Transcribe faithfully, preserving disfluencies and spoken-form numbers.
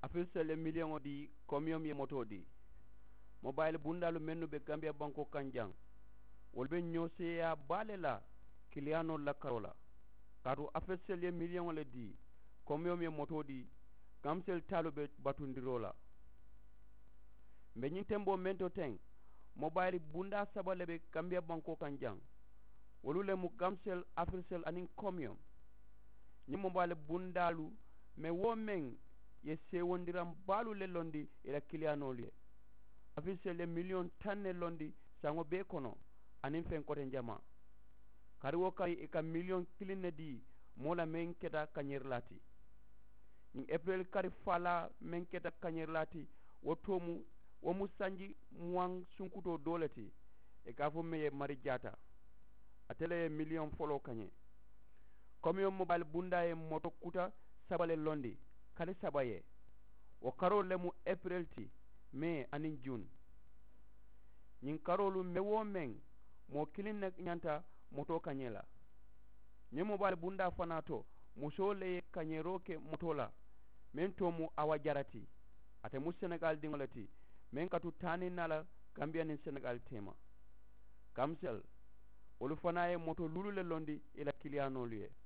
Afirisel ye miliyoŋo dii. Komiyoŋ ye motoo dii. Mobayili bundaalu mennu be gambiya bankoo kaŋ jaŋ, wolu be ñoo seeyaa baa le la kiliyaanoolu la karoo la. Kaatu afirisel ye miliyoŋo le dii. Komiyoŋ ye motoo dii. Kamisel taalu be batundiroo la. M̀ be ñiŋ temboo meŋ to teŋ, mobayili bundaa saba le be gambiya bankoo kaŋ jaŋ. Wolu le mu kamisel, afirisel aniŋ komiyoŋ. Ñiŋ mobayili bundaalu meŋ wo meŋ ye seewondiraŋ baalu le londi ì la kiliyaanoolu ye. Afirisel ye miliyoŋ taŋ ne londi saŋo bee kono, aniŋ feŋ koteŋ jamaa. Kari wo kari ì ka miliyoŋ kiliŋ ne dii moo la meŋ keta kañerilaa ti. Ñiŋ epireli kari faalaa meŋ keta kañerilaa ti, wo too mu wo mu sanji muwaŋ sunkutoo doo le ti. Ì ka a fo meŋ ye mari jaata, ate le ye miliyoŋ foloo kañe. Komiyoŋ mobayili bundaa ye moto kuta saba le londi, kari saba ye. Wo karoolu le mu epireli ti, mee aniŋ jun. Ñiŋ karoolu meŋ wo meŋ, moo kiliŋ ne ñanta motoo kañee la. Ñiŋ mobayili bundaa fanaa to, musoo le ye kañeeroo ke motoo la, meŋ too mu awa jara ti. Ate mu senegaali diŋo le ti, meŋ ka tu taaniŋ naa la gambiya niŋ senegaali teema. Kamisel, wolu fanaa ye moto luulu le londi ì la kiliyaanoolu ye.